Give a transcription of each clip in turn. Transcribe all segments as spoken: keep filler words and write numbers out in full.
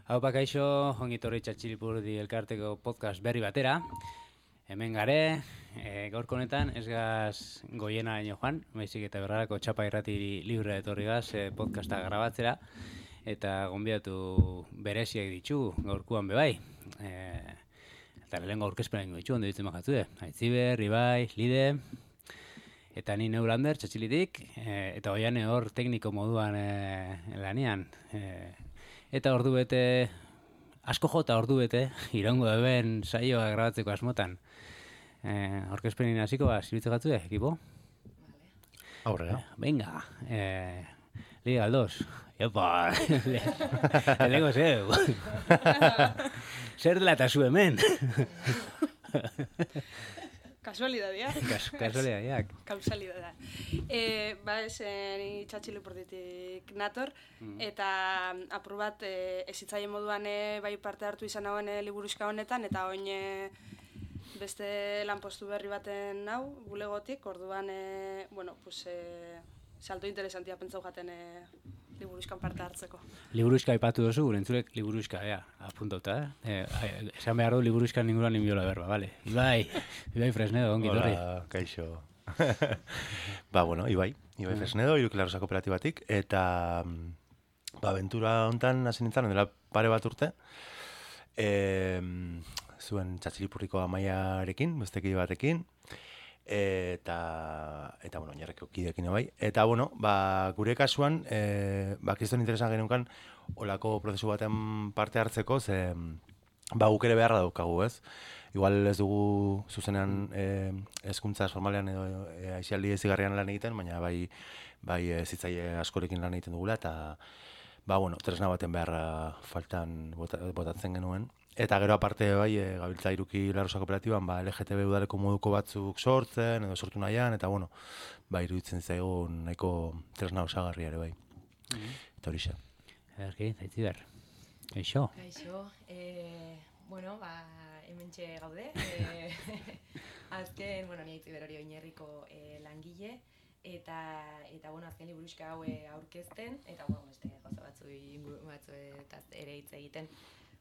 Haupa kaixo, ongitorri Txatxilipurdi elkarteko podcast berri batera. Hemen gare, e, gaurko honetan ez gaz goiena ino joan, baizik eta berrarako txapa irratiri libre etorri gaz e, podcasta grabatzera. Eta gonbidatu bereziak ditugu gaurkuan bebai. E, eta lehenko aurkezpena ingo ditugu, ondo ditzen majatzu de. Aitziber, Ibai, Lide, eta ni Neulander, Txatxilitik, e, eta oian hor tekniko moduan e, lanian. E, Eta ordu bete, asko jota ordu bete, iraungo eben saioa grabatzeko asmotan. Eh, Aurkezpenin hasiko ba, zirutze gatzu de, ekipo? Aurrera. Eh, venga, eh, Liga Aldos. Epa, lehenko zeu. Zer dela eta zu hemen? Kasualidadiak. Kas, kasualidadiak. Kausalidada. E, ba, ez, ni Txatxilipurditik nator, mm. eta apur bat e, ezitzaien moduan e, bai parte hartu izan hauen e, liburuxka honetan, eta oin e, beste lanpostu berri baten hau, bulegotik, orduan, e, bueno, pues, e, salto interesantia pentsau jaten e, liburuxkan parte hartzeko. Liburuxka aipatu duzu, gure entzulek liburuxka, ea, apuntauta, eh? eh esan behar du liburuxkan ninguran inbiola berba, bale? Ibai, Ibai Fresnedo, ongi torri. Hola, kaixo. Ba, bueno, Ibai, Ibai Fresnedo, Irukilarosa kooperatibatik, eta ba, aventura hontan hasi nintzen, dela pare bat urte, e, zuen Txatxilipurriko amaiarekin, besteki batekin, eta eta bueno, oinarreko kideekin bai. Eta bueno, ba, gure kasuan eh ba kriston interesan geneukan olako prozesu baten parte hartzeko, ze ba guk ere beharra daukagu, ez? Igual ez dugu zuzenean eh hezkuntza formalean edo e, aisialdi ezigarrian lan egiten, baina bai bai zitzaile askorekin lan egiten dugula eta ba bueno, tresna baten beharra faltan botatzen genuen. Eta gero aparte bai, e, gabiltza Irukilarosa kooperatiban, ba, L G T B udaleko moduko batzuk sortzen, edo sortu nahian, eta bueno, ba, iruditzen zaigun nahiko tresna osagarri ere bai. Mm-hmm. Eta hori xa. Erki, Aitziber. Kaixo. Kaixo. Eh, bueno, ba, hementxe gaude. Eh, azken, bueno, ni Aitziber hori oinarriko eh, langile, eta, eta bueno, azken liburuxka hau aurkezten, eta bueno, beste gauza batzu inguru batzu eta ere hitz egiten.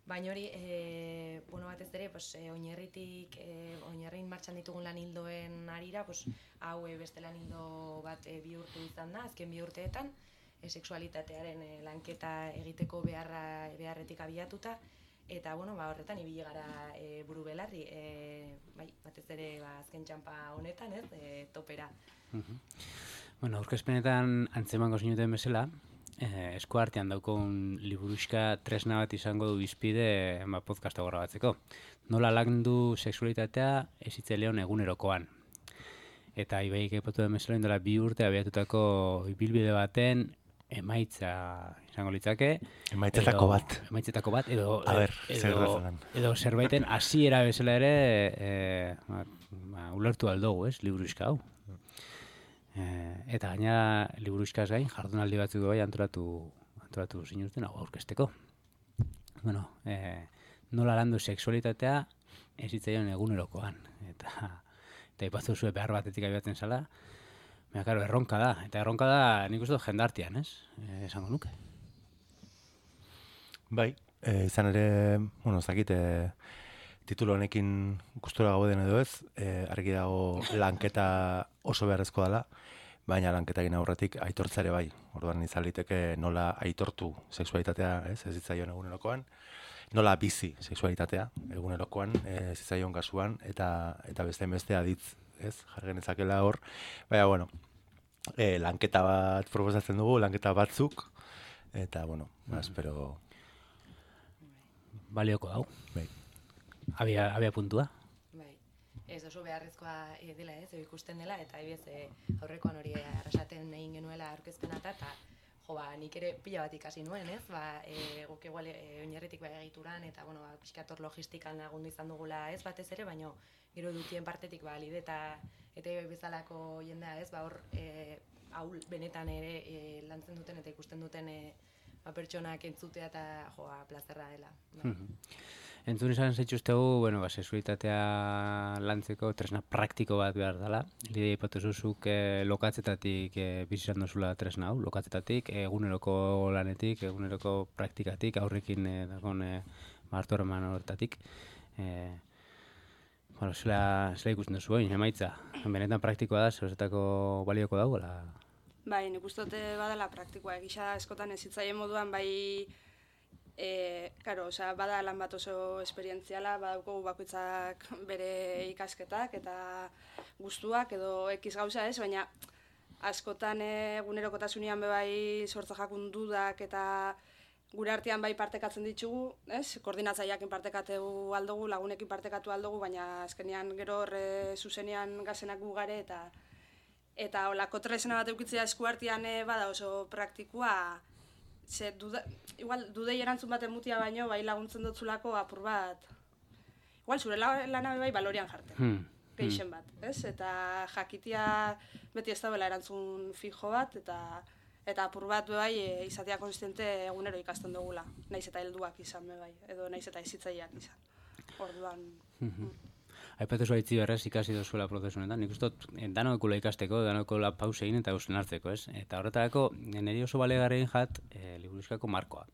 Baina hori, e, bueno, batez ere, pues, e, oinarritik, e, oinarrin martxan ditugun lan hildoen arira, pues, hau e, beste lan hildo bat e, bihurtu izan da, azken bi urteetan, e, sexualitatearen e, lanketa egiteko beharra, beharretik abiatuta, eta, bueno, ba, horretan ibili gara e, buru belarri, e, bai, batez ere, ba, azken txampa honetan, ez, e, topera. Uh-huh. Bueno, aurkezpenetan antzemango zinuten bezala, Eh, esku artean daukon liburuxka tresna bat izango du bizpide ba, podcasta grabatzeko. Nola landu sexualitatea ezitzaileon egunerokoan. Eta Ibaik aipatu den bezala indela bi urte abiatutako ibilbide baten emaitza izango litzake. Emaitzetako bat. Emaitzetako bat, edo, ber, edo, edo zerbaiten hasiera bezala ere e, ba, ba, ulertu aldogu, ez, liburuxka hau. Eh, eta gaina liburuxkaz gain jardunaldi batzuk bai antolatu antolatu zinuzten hau aurkezteko. Bueno, eh, nola landu sexualitatea ez hitzaion egunerokoan eta eta ipatzu zue behar batetik abiatzen zala. Baina claro, erronka da, eta erronka da nik uste dut jendartean, ez? Eh, esango nuke. Bai, eh, izan ere, bueno, ez dakit eh, titulu honekin gustura gauden edo ez, eh, argi dago lanketa oso beharrezkoa dela, baina lanketagin aurretik aitortzare bai. Orduan izan liteke nola aitortu sexualitatea, ez, ez zitzaion egunerokoan, nola bizi sexualitatea egunerokoan, ez zitzaion kasuan, eta eta beste beste aditz, ez, jargen ezakela hor. Baina, bueno, e, lanketa bat proposatzen dugu, lanketa batzuk, eta, bueno, mm. espero... Balioko hau. Bai. Abia, abia puntua. Ez oso beharrezkoa e, dela, ez, ikusten dela, eta ebiez e, aurrekoan hori arrasaten egin genuela aurkezpena eta jo, ba, nik ere pila bat ikasi nuen, ez, ba, e, guk egual e, oinarritik bai egituran, eta, bueno, ba, pixkator logistikan lagundu izan dugula, ez, batez ere, baina gero dukien partetik, ba, lide eta eta bezalako jendea, ez, ba, hor, e, haul benetan ere e, lantzen duten eta ikusten duten e, ba, pertsonak entzutea eta, joa, plazerra dela. Ba. Entzun izan zaituztegu, bueno, ba, sexualitatea lantzeko tresna praktiko bat behar dela. Lidia ipatu zuzuk eh, lokatzetatik eh, bizizan dozula tresna hau, lokatzetatik, eguneroko lanetik, eguneroko praktikatik, aurrekin eh, dagoen eh, martu eraman horretatik. Eh, bueno, zela, zela ikusten duzu, eh, emaitza. Benetan praktikoa da, zeuzetako balioko dago, la... Bai, nik uste dute badala praktikoa, egisa eskotan ezitzaien moduan, bai, e, karo, osea, bada lan bat oso esperientziala, badaukogu bakoitzak bere ikasketak eta gustuak edo ekiz gauza ez, baina askotan egunerokotasunean be bai sortza jakun dudak eta gure artean bai partekatzen ditugu, ez? Koordinatzaileekin partekatu aldugu, lagunekin partekatu aldugu, baina azkenean gero horre zuzenean gazenak gu gare eta eta holako tresna bat eukitzea eskuartean bada oso praktikoa, ze duda, igual dudei erantzun baten mutia baino bai laguntzen dotzulako apur bat. Igual zure lana bai balorean jartzen. Hmm. Geixen bat, ez? Eta jakitia beti ez dagoela erantzun fijo bat eta eta apur bat bai e, izatea konsistiente egunero ikasten dugula. Naiz eta helduak izan be bai, edo naiz eta hezitzaileak izan. Orduan, Aipatu zua itzi berrez ikasi dozuela prozesu honetan, nik uste dut danokula ikasteko, danokula pause egin eta gauzen hartzeko, ez? Eta horretarako, niri oso balegarrein jat, e, liburuskako markoa.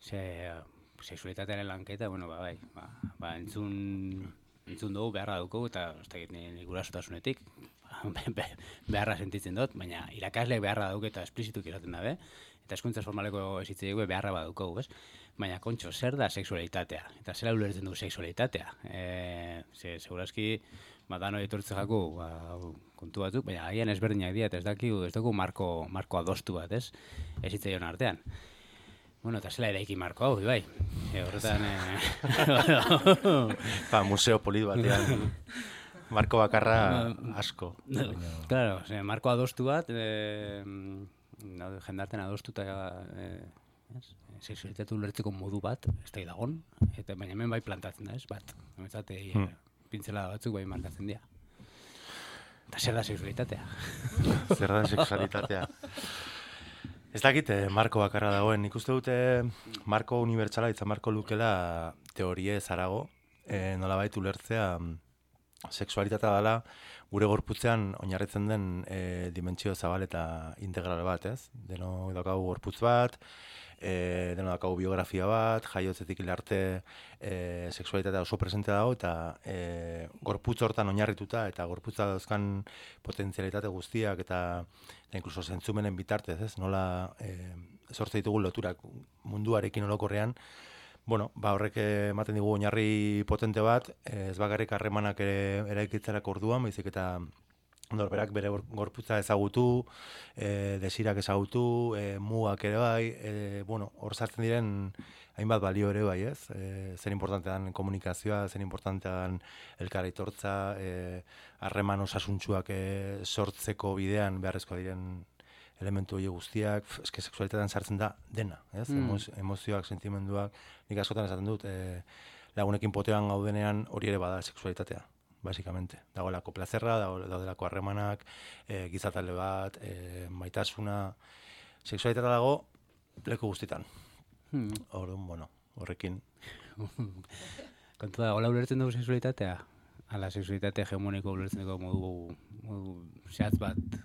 Ze, sexualitatearen lanketa, bueno, ba, bai, ba, ba entzun, entzun dugu beharra dugu, eta ez dakit nik gurasotasunetik, beharra sentitzen dut, baina irakasleek beharra dugu eta esplizituk iraten dabe, eta eskuntza formaleko esitzei beharra badukogu, ez? Baina, kontxo, zer da sexualitatea? Eta zera ulertzen du sexualitatea? E, ze, segurazki, ba, dano etortze jaku, ba, kontu batzuk, baina agian ezberdinak dira, eta ez dakigu, ez dugu marko, marko adostu bat, ez? Ez hitzaion artean. Bueno, eta zela eraiki marko hau, bai. E, horretan... E... ba, museo polit batean. Marko bakarra asko. Claro, ze, marko adostu bat, e, jendarten adostuta... E, sexualitatea ulertzeko modu bat, ez da dagon, eta baina hemen bai plantatzen da, ez, bat. Hemetzate, hmm. pintzela batzuk bai markatzen dira. Eta zer da sexualitatea? Zer da sexualitatea? Ez dakit, eh, marko bakarra dagoen. Nik uste dute marko unibertsala, itza marko lukela teorie zarago, eh, nolabait ulertzea sexualitatea dela gure gorputzean oinarritzen den eh, dimentsio zabal eta integral bat, ez? Deno daukagu gorputz bat, E, deno dakagu biografia bat, jaiotzetik hil arte e, sexualitatea oso presente dago eta e, gorputz hortan oinarrituta eta gorputza dauzkan potentzialitate guztiak eta, eta inkluso zentzumenen bitartez, ez? Nola e, sortze ditugu loturak munduarekin orokorrean, bueno, ba horrek ematen digu oinarri potente bat, ez bakarrik harremanak ere eraikitzerako orduan, baizik eta norberak bere gorputza ezagutu, e, desirak ezagutu, e, mugak ere bai, e, bueno, hor sartzen diren hainbat balio ere bai, ez? E, zer importante dan komunikazioa, zer importante dan elkar aitortza, harreman e, osasuntsuak e, sortzeko bidean beharrezkoa diren elementu hori guztiak, eske sexualitatean sartzen da dena, ez? Mm. Emo, emozioak, sentimenduak, nik askotan esaten dut, e, lagunekin potean gaudenean hori ere bada sexualitatea. Basikamente. Dagoelako plazerra, daudelako harremanak, e, gizatalde bat, e, maitasuna, sexualitatea dago leku guztitan. Hmm. Orduan, bueno, horrekin. Kontu da, hola ulertzen dugu sexualitatea? Ala, sexualitatea hegemoniko ulertzen dugu modu, modu zehatz bat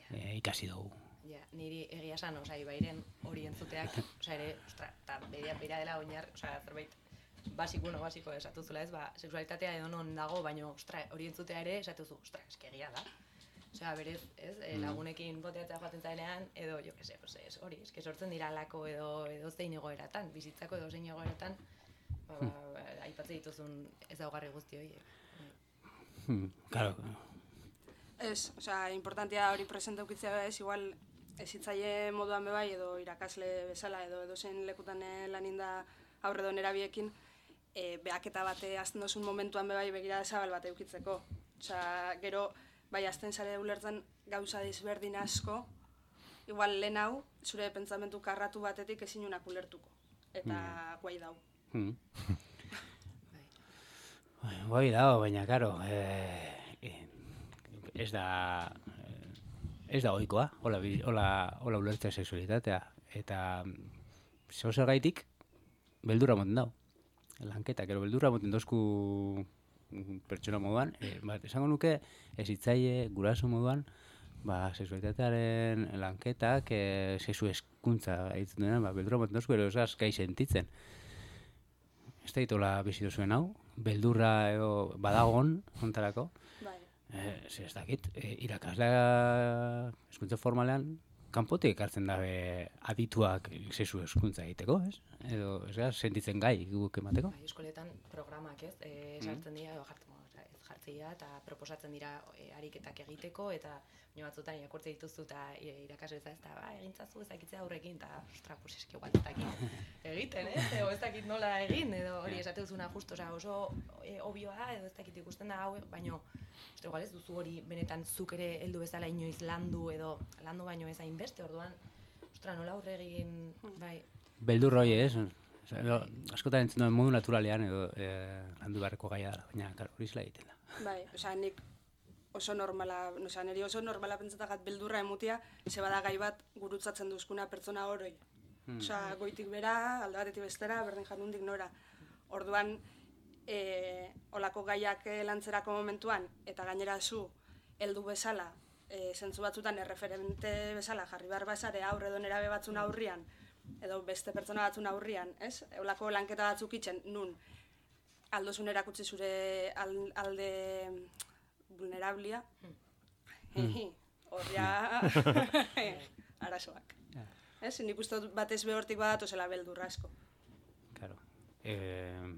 e, ikasi dugu. Ja, niri egia esan, oza, ibairen hori entzuteak, oza, ere, ostra, eta bedia bera dela oinar, oza, zerbait, basiko, no, basiko esatu zula ez, ba, sexualitatea edo non dago, baina, ostra, hori entzutea ere esatu zu, ostra, eske egia da. Osea, berez, ez, e, lagunekin boteatzea joaten zaenean, edo, jo, que se, pues, ez, hori, eske sortzen dira lako edo, edo zein egoeratan, bizitzako edo zein egoeratan, ba, ba, ba, aipatze dituzun ezaugarri guzti horiek. Hmm, claro. Ez, osea, importantea hori presente ukitzea ez, igual, ezitzaile moduan bebai, edo irakasle bezala, edo edo zen lekutan laninda aurre do nerabiekin, e, behaketa bate azten dozun momentuan bebai begira zabal bate eukitzeko. Osea, gero, bai azten zare ulertzen gauza desberdin asko, igual lehen hau, zure pentsamentu karratu batetik ezinunak ulertuko. Eta mm. guai dau. Mm. Guai dau, baina, karo, eh, ez da... Ez da oikoa, hola, hola, hola ulertzea sexualitatea. Eta zeo zer gaitik, beldura moten dau. lanketak, ero beldurra moten dozku pertsona moduan, e, bat, esango nuke, ez hitzaile guraso moduan, ba, sexualitatearen lanketak, e, sexu eskuntza egiten dena, ba, beldurra moten dozku, ero esaz, gai sentitzen. Ez da ditola bizitu zuen hau, beldurra edo badagon, ontarako, Bai. e, ez dakit, e, irakaslea eskuntza formalean, kanpotik ekartzen dabe adituak sexu eskuntza egiteko, ez? Edo, ez gara, sentitzen gai guk emateko? Bai, eskoletan programak, ez, e, sartzen dira, edo jartzen, ez jartzen dira, eta proposatzen dira e, ariketak egiteko, eta baina batzutan irakurtze dituzu eta e, irakasle ez da, ba, egintzazu ezakitzea aurrekin, eta, ostra, pues eski igual ez dakit egiten, ez? Edo ez dakit nola egin, edo hori esate duzuna justo, oza, oso e, obioa da, edo ez dakit ikusten da hau, baino, ostra, igual ez duzu hori benetan zuk ere heldu bezala inoiz landu, edo landu baino ez hainbeste, orduan, ostra, nola aurre egin, bai, Beldur hori, ez? Osa, edo, askotan entzun duen modu naturalean edo e, landu beharreko gaia da, baina karo, hori zela egiten da. Bai, osea, nik oso normala, osea, niri oso normala pentsatagat beldurra emutia, ze bada gai bat gurutzatzen duzkuna pertsona oroi. Osea, goitik bera, alde batetik bestera, berdin janundik nora. Orduan, e, olako gaiak lantzerako momentuan, eta gainera zu, heldu bezala, e, zentzu batzutan erreferente bezala jarri behar bazare aurre edo nerabe batzun aurrian, edo beste pertsona batzun aurrian, ez? Olako lanketa batzuk itzen, nun, aldozun erakutsi zure alde vulnerablia, horria arazoak. Ez, nik uste dut batez behortik badatozela beldurra asko. Claro. E,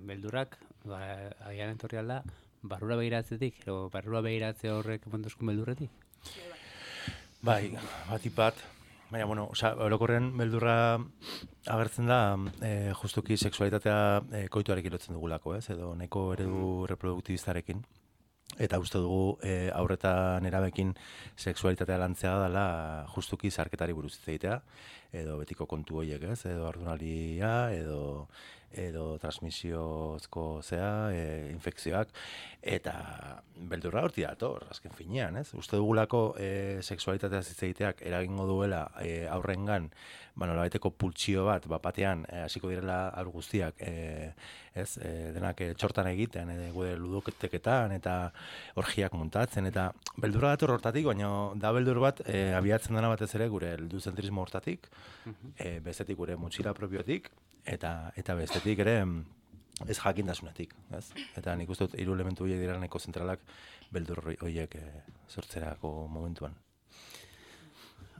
beldurrak, ba, agian entorri alda, barrura begiratzetik, edo barrura begiratze horrek montozkun beldurretik? Bai, bat ipat, baina, bueno, oza, orokorren beldurra agertzen da, e, justuki sexualitatea e, koituarekin lotzen dugulako, ez? Edo nahiko eredu reproduktibistarekin. Eta uste dugu e, aurreta nerabekin sexualitatea lantzea dela justuki zarketari buruz hitz egitea, edo betiko kontu horiek, ez? Edo ardunalia, edo edo transmisiozko zea, e, infekzioak, eta beldurra horti dator, azken finean, ez? Uste dugulako e, sexualitatea hitz egiteak eragingo duela e, aurrengan, ba, nolabaiteko pultsio bat, bat batean, hasiko e, direla aur guztiak, e, ez? E, denak e, txortan egiten, e, gure ludoketeketan, eta orgiak muntatzen, eta beldurra dator hortatik, baina da beldur bat e, abiatzen dena batez ere gure helduzentrismo hortatik, e, bestetik gure motxila propiotik, eta eta bestetik ere ez jakintasunetik, ez? Eta nik uste dut hiru elementu horiek dira nahiko zentralak beldur horiek e, sortzerako momentuan.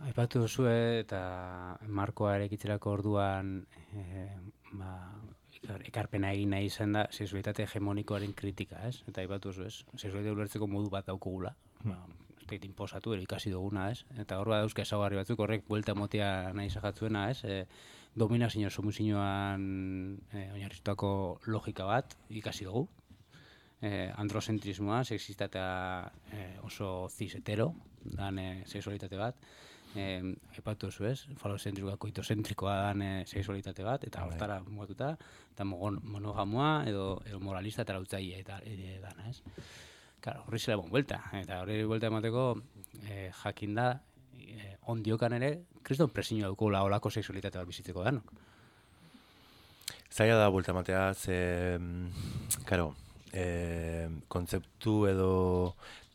Aipatu duzu eta markoa erekitzerako orduan e, ba, ekarpena egin nahi izan da sexualitate hegemonikoaren kritika, ez? Eta aipatu duzu, ez? Sexualitatea ulertzeko modu bat daukugula. Ba, ez da inposatu, ere ikasi duguna, ez? Eta hor bat dauzka ezaugarri batzuk horrek buelta motia nahi izajatzuena, ez? E, dominazio somuzioan e, oinarritutako logika bat ikasi dugu. E, androzentrismoa, sexistata e, oso cis hetero, dan e, sexualitate bat. Eh, aipatu duzu, ez? Falozentrikoa, koitozentrikoa dan e, sexualitate bat, eta hortara mugatuta, eta monogamoa edo, edo moralista eta lautzaile eta e, dana, ez? Claro, horri zela bon buelta, eta horri buelta emateko e, jakin da, e, ondiokan ere, kriston presiño daukula olako sexualitate bat bizitzeko danok. Zaila da buelta ematea, ze, karo, e, kontzeptu edo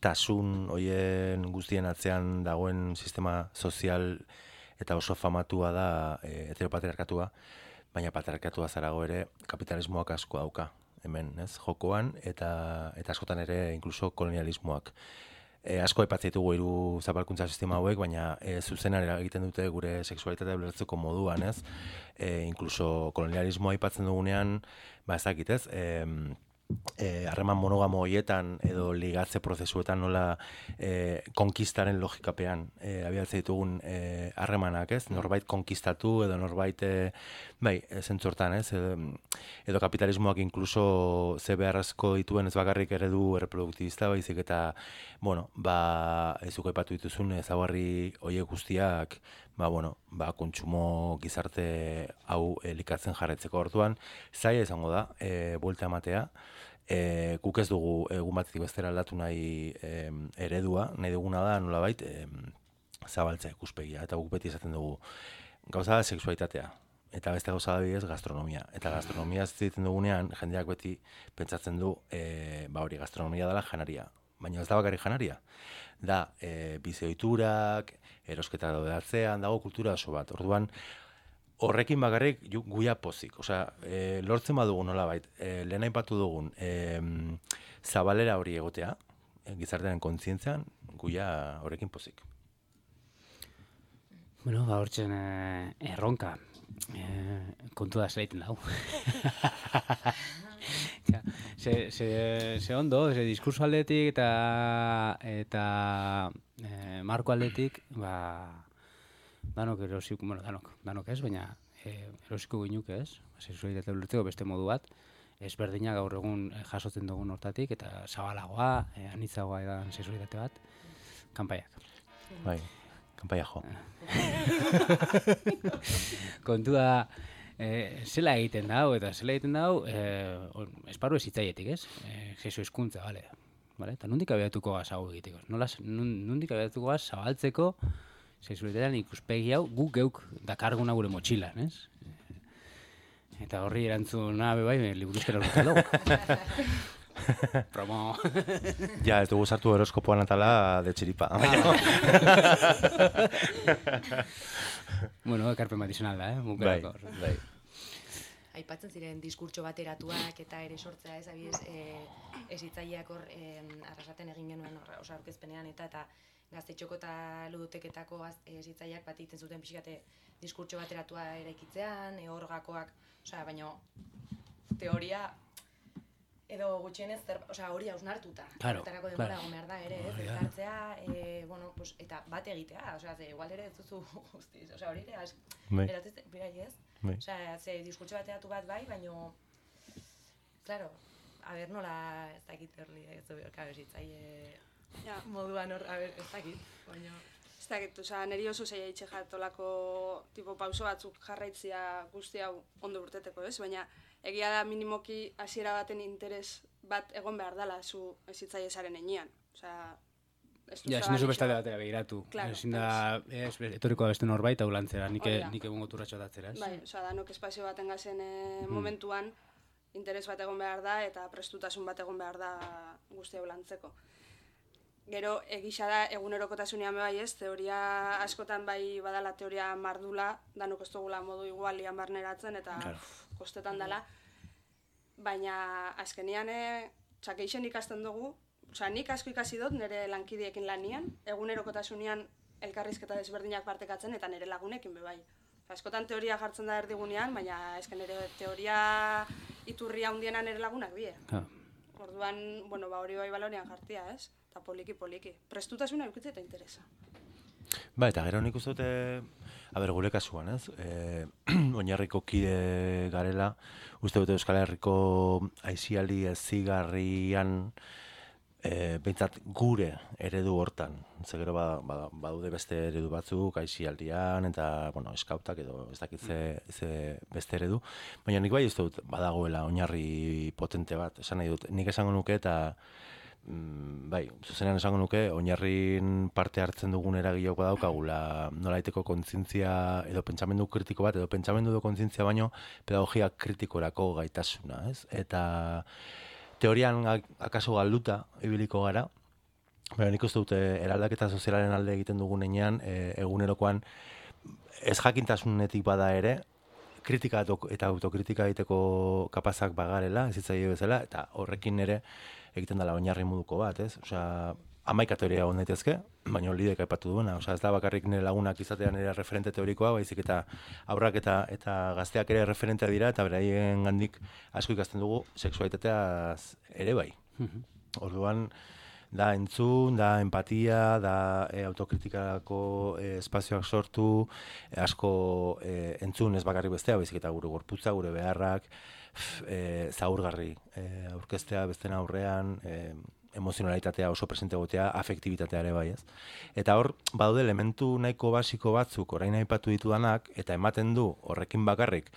tasun hoien guztien atzean dagoen sistema sozial eta oso famatua da e, heteropatriarkatua, baina patriarkatua zarago ere kapitalismoak asko dauka hemen, ez, jokoan, eta eta askotan ere inkluso kolonialismoak. E, asko aipatzen ditugu hiru zapalkuntza sistema hauek, baina e, zuzenan eragiten dute gure sexualitatea ulertzeko moduan, ez? E, inkluso kolonialismoa aipatzen dugunean, ba ezakit, ez? E, harreman e, monogamo horietan edo ligatze prozesuetan nola e, konkistaren logikapean e, abiatzen ditugun harremanak, ez? Norbait konkistatu edo norbait e, bai, zentzortan, ez? Edo, edo kapitalismoak inkluso ze beharrezko dituen ez bakarrik eredu erreproduktibista, baizik eta, bueno, ba, ez dugu aipatu dituzun ezaugarri horiek guztiak, ba, bueno, ba, kontsumo gizarte hau elikatzen jarraitzeko orduan, zaila izango da, e, buelta ematea, e, guk ez dugu egun batetik bestera aldatu nahi e, eredua, nahi duguna da, nolabait, e, zabaltzea ikuspegia, eta guk beti esaten dugu, gauza da sexualitatea, eta beste gauza da bidez gastronomia. Eta gastronomia ez egiten dugunean, jendeak beti pentsatzen du, e, ba hori gastronomia dela janaria. Baina ez da bakarrik janaria. Da, e, bizi-ohiturak, erosketa daude atzean, dago kultura oso bat. Orduan, horrekin bakarrik guia pozik. Osea, e, lortzen badugu nolabait, e, lehen aipatu dugun, e, zabalera hori egotea, e, gizartearen kontzientzian, guia horrekin pozik. Bueno, ba, hortzen eh, erronka. Eh, kontu da zelaiten dau. ze, ze, ze ondo, ze diskurso aldetik eta, eta eh, marko aldetik, ba, danok erosiko, bueno, danok, danok ez, baina eh, erosiko ginuke ez, sexualitatea ulertzeko beste modu bat, ezberdina gaur egun jasotzen dugun hortatik, eta zabalagoa, eh, anitzagoa edan sexualitate bat, kanpaiak. Bai. Kanpaia jo. Kontua, eh, zela egiten dau, eta zela egiten dau, eh, esparru ez hitzaietik, ez? Eh, Jesu eskuntza, bale. Vale? Eta nondik abiatuko gaz hau egiteko? Nola, nondik abiatuko gaz zabaltzeko sexualitatean ikuspegi hau gu geuk dakarguna gure motxilan, ez? Eta horri erantzuna bebai, liburuzkera urrutzen dugu. Promo. Ja, ez dugu sartu horoskopoan atala de txiripa. Bueno, ekarpen bat izan alda, eh? Bai, bai. Aipatzen ziren diskurtso bateratuak eta ere sortzea ez, abiez, e, ez hitzaileak hor e, arrasaten egin genuen hor, osa aurkezpenean eta eta gaztetxoko eta ludoteketako ez hitzaileak bat egiten zuten pixkate diskurtso bateratua eraikitzean, e, hor gakoak, osea, baina teoria edo gutxienez, osea, hori hausnartuta. Claro, Hortarako denbora claro. egon behar da ere, ez? Elkartzea, eh, bueno, pues, eta bat egitea, osea, ze igual ere ez duzu guztiz, osea, hori ere, eratzen, birai ez? Bai. Osea, ze diskurtso bateratu bat bai, baino, claro, a ber, nola, ez dakit hori, ez du, claro, zitzaile Ja. moduan hor, a ber, ez dakit, baino... Ez dakit, osea, niri oso zaila itxe jartolako tipo pauso batzuk jarraitzia guzti hau ondo urteteko, ez? Baina egia da minimoki hasiera baten interes bat egon behar dela zu ezitzaile zaren enean. Osea, ez Ja, ezin duzu bestalde batera begiratu. Claro, Ezin da, ez, etoriko da beste norbait hau lantzera, nik, Hori da. nik egun goturratxo datzera, ez? Bai, osea, danok espazio baten gazen e, momentuan interes bat egon behar da eta prestutasun bat egon behar da guzti hau lantzeko. Gero, egisa da, egunerokotasunean bai ez, teoria askotan bai badala teoria mardula, danok ez dugula modu igualian barneratzen eta Claro. uf, kostetan dela. Baina azkenian e, txakeixen ikasten dugu, osea, nik asko ikasi dut nire lankidiekin lanian, egunerokotasunean elkarrizketa desberdinak partekatzen eta nire lagunekin be bai. Askotan teoria jartzen da erdigunean, baina esken nire teoria iturria hundiena nire lagunak die. Claro. Orduan, bueno, ba hori bai balorean jartia, ez? Eta poliki-poliki. Prestutasuna eukitze eta interesa. Ba, eta gero nik uste dute, a ber, gure kasuan, ez? E, oinarriko kide garela, uste dute Euskal Herriko aisialdi ezigarrian, e, behintzat gure eredu hortan. Ze gero ba, ba, badude beste eredu batzuk, aisialdian, eta, bueno, eskautak edo ez dakit ze, ze beste eredu. Baina nik bai uste dut badagoela oinarri potente bat, esan nahi dut. Nik esango nuke eta bai, zuzenean esango nuke, oinarrin parte hartzen dugun eragileok badaukagula nolaiteko kontzientzia edo pentsamendu kritiko bat, edo pentsamendu edo kontzientzia baino pedagogia kritikorako gaitasuna, ez? Eta teorian akaso galduta ibiliko gara, baina nik uste dute eraldaketa sozialaren alde egiten dugun enean, e, egunerokoan ez jakintasunetik bada ere, kritika eta autokritika egiteko kapazak bagarela, ez hitzaile bezala, eta horrekin ere egiten dela oinarri moduko bat, ez? Osea, hamaika teoria egon daitezke, baina lidek aipatu duena. Osea, ez da bakarrik nire lagunak izatean ere referente teorikoa, baizik eta aurrak eta eta gazteak ere referentea dira, eta beraien gandik asko ikasten dugu sexualitateaz ere bai. Orduan, da entzun, da empatia, da e, autokritikako e, espazioak sortu, e, asko e, entzun ez bakarrik bestea, baizik eta gure gorputza, gure beharrak, e, zaurgarri e, aurkeztea besten aurrean, e, emozionalitatea oso presente egotea, afektibitatea ere bai, ez? Eta hor, badaude elementu nahiko basiko batzuk orain aipatu ditudanak, eta ematen du horrekin bakarrik,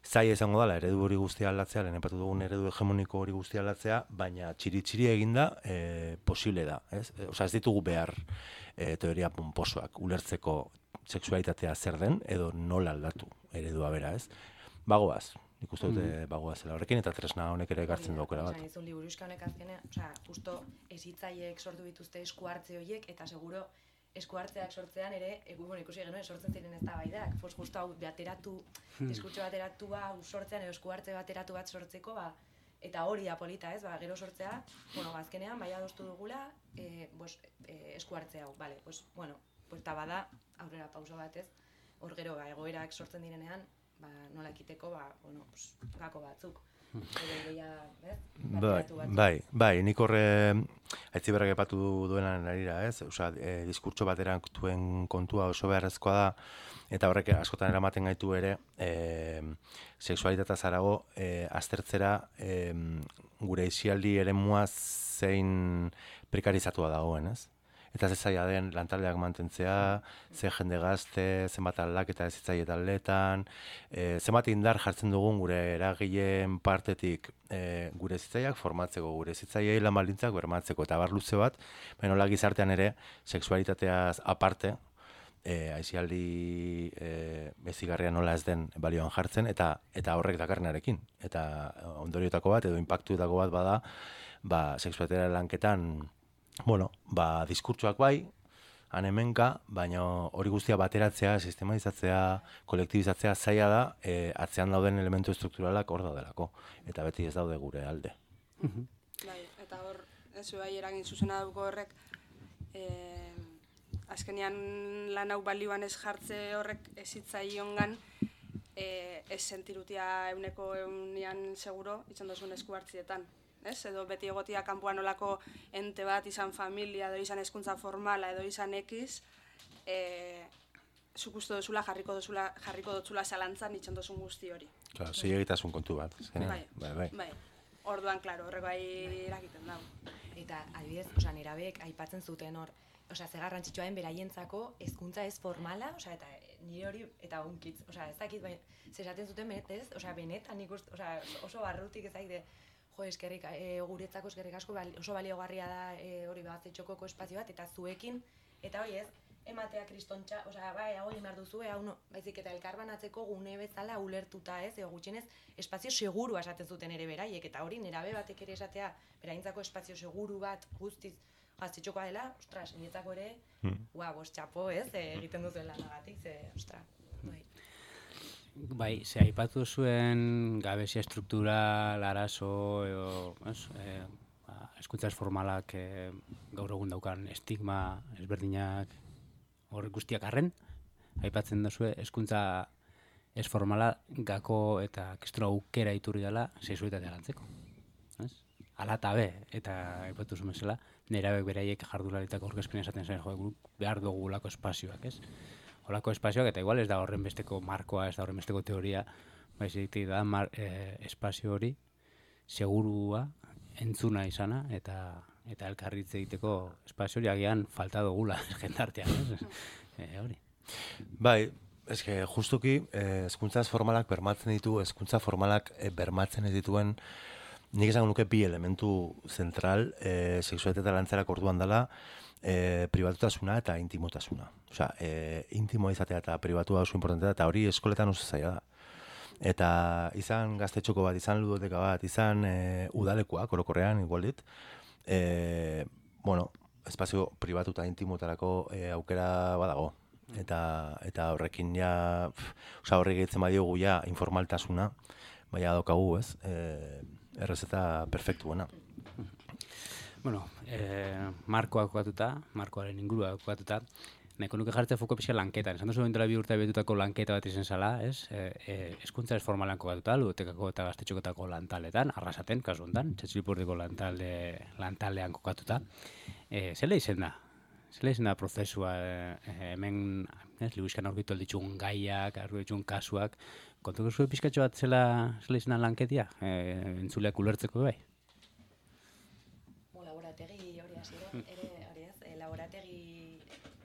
zaila izango dela eredu hori guztia aldatzea, lehen epatu dugun eredu hegemoniko hori guztia aldatzea, baina txiri-txiri eginda e, posible da, ez? E, Osa, ez ditugu behar e, teoria pomposoak ulertzeko sexualitatea zer den edo nola aldatu eredua bera, ez? Bagoaz, nik uste dute bagoazela horrekin, eta tresna honek ere ekartzen du aukera bat. Esan izun liburuxka honek azkenean, osea, justo ezitzaiek sortu bituzte esku hartze horiek, eta seguro esku hartzeak sortzean ere, egu, bueno, ikusi genuen, sortzen ziren ez da baidak, pues justo hau bateratu, diskurtso bateratu hau sortzean, edo esku hartze bateratu bat sortzeko, ba, eta hori da polita, ez, ba, gero sortzea, bueno, azkenean, bai adostu dugula, e, pues, e, esku hartze hau, bale, pues, bueno, pues, ta bada, aurrera pauso bat, ez, hor gero, ba, egoerak sortzen direnean, ba, nola ekiteko, ba, bueno, pues, gako batzuk. Bai, bai, bai, nik horre Aitziberrak epatu duenan arira, ez? Osea, e, diskurtso bateran duen kontua oso beharrezkoa da, eta horrek askotan eramaten gaitu ere, e, sexualitatea zarago, e, aztertzera e, gure isialdi eremua zein prekarizatua dagoen, ez? Eta ze zaila den lantaldeak mantentzea, ze jende gazte, zenbat aldaketa ez hitzaile taldeetan, e, zenbat indar jartzen dugun gure eragileen partetik e, gure zitzaileak formatzeko, gure zitzaileei lan baldintzak bermatzeko, eta bar luze bat, baina nola gizartean ere, sexualitateaz aparte, e, aisialdi e, bezigarria nola ez den balioan jartzen, eta eta horrek dakarrenarekin. Eta ondoriotako bat, edo inpaktuetako bat bada, ba, sexualitatea lanketan, bueno, ba, diskurtsoak bai, han hemenka, baina hori guztia bateratzea, sistematizatzea, kolektibizatzea zaila da, e, atzean dauden elementu estrukturalak hor daudelako, eta beti ez daude gure alde. Bai, eta hor, ez bai eragin zuzena duko horrek, e, azkenean lan hau balioan ez jartze horrek ezitzaiongan, e, ez sentirutia euneko eunian seguro, itzan dozun esku hartzietan. Ez? Edo beti egotia kanpoan olako ente bat, izan familia, edo izan hezkuntza formala, edo izan ekiz, e, zuk uste dozula, jarriko dozula, jarriko dotzula zalantzan itxan dozun guzti hori. Claro, zilegitasun kontu bat. Bai, bai, bai. bai. Orduan, klaro, horreko bai eragiten dago. Eta, adibidez, osea, nerabek aipatzen zuten hor, osea, ze garrantzitsua den beraientzako hezkuntza ez formala, osea, eta nire hori, eta unkitz, osea, ez dakit, bai, zesaten zuten benetez, osea, benetan ikust, osea, oso barrutik ez dakit, jo, eskerrik, e, guretzako eskerrik asko oso baliogarria da e, hori Gaztetxokoko espazio bat, eta zuekin, eta hori ez, ematea kristontxa, osea, bai, hau egin behar duzu, hau no, baizik eta elkarbanatzeko gune bezala ulertuta ez, edo gutxienez, espazio seguru esaten zuten ere beraiek, eta hori nerabe batek ere esatea, beraintzako espazio seguru bat guztiz Gaztetxokoa dela, ostras, niretzako ere, hmm. ua, bost txapo ez, e, egiten duzuen lanagatik, ze, ostra, bai. Bai, ze aipatu zuen gabezia struktural, arazo, edo, ez, e, ba, hezkuntza formalak e, gaur egun daukan estigma ezberdinak hor guztiak arren, aipatzen duzue hezkuntza ez formala gako eta kriston aukera iturri dela sexualitatea lantzeko. Ez? Ala eta be, eta aipatu zuen bezala, nerabek beraiek jardularitako aurkezpen esaten zen, jo, behar dugulako espazioak, ez? Holako espazioak, eta igual ez da horren besteko markoa, ez da horren besteko teoria, baizik da mar, e, espazio hori segurua, entzuna izana, eta eta elkarritze egiteko espazio hori agian falta dugula jendartean, ez? E, hori. Bai, eske justuki hezkuntza eh, formalak bermatzen ditu, hezkuntza formalak eh, bermatzen ez dituen, nik esango nuke bi elementu zentral eh, sexualitatea lantzerako orduan dela, E, pribatutasuna eta intimotasuna. Osea, e, intimo izatea eta pribatua oso importantea, eta hori eskoletan oso zaila da. Eta izan Gaztetxoko bat, izan ludoteka bat, izan e, udalekoak, orokorrean, igual dit, e, bueno, espazio pribatu eta intimotarako e, aukera badago. Eta, eta horrekin ja, osea, horrek egitzen badiogu ja informaltasuna, baina daukagu, ez, e, errezeta perfektuena. Bueno, eh, markoa kokatuta, markoaren ingurua kokatuta, nahiko nuke jartzea foko pixka lanketan. Esan duzu bentela bi urte betutako lanketa bat izan zala, ez? Hezkuntza ez formalan kokatuta, ludotekako eta Gaztetxoketako lantaletan, Arrasaten, kasu honetan, Txatxilipurdiko lantalde, lantaldean kokatuta. E, zela izen da? Zela izen da prozesua, e, hemen, ez, Libuixkan aurkitu alditxun gaiak, aurkitu alditxun kasuak, kontuko zuen pixkatxo bat zela, zela izen da lanketia, e, entzuleak ulertzeko bai? Laborategi hori hasi da, ere hori ez, e, laborategi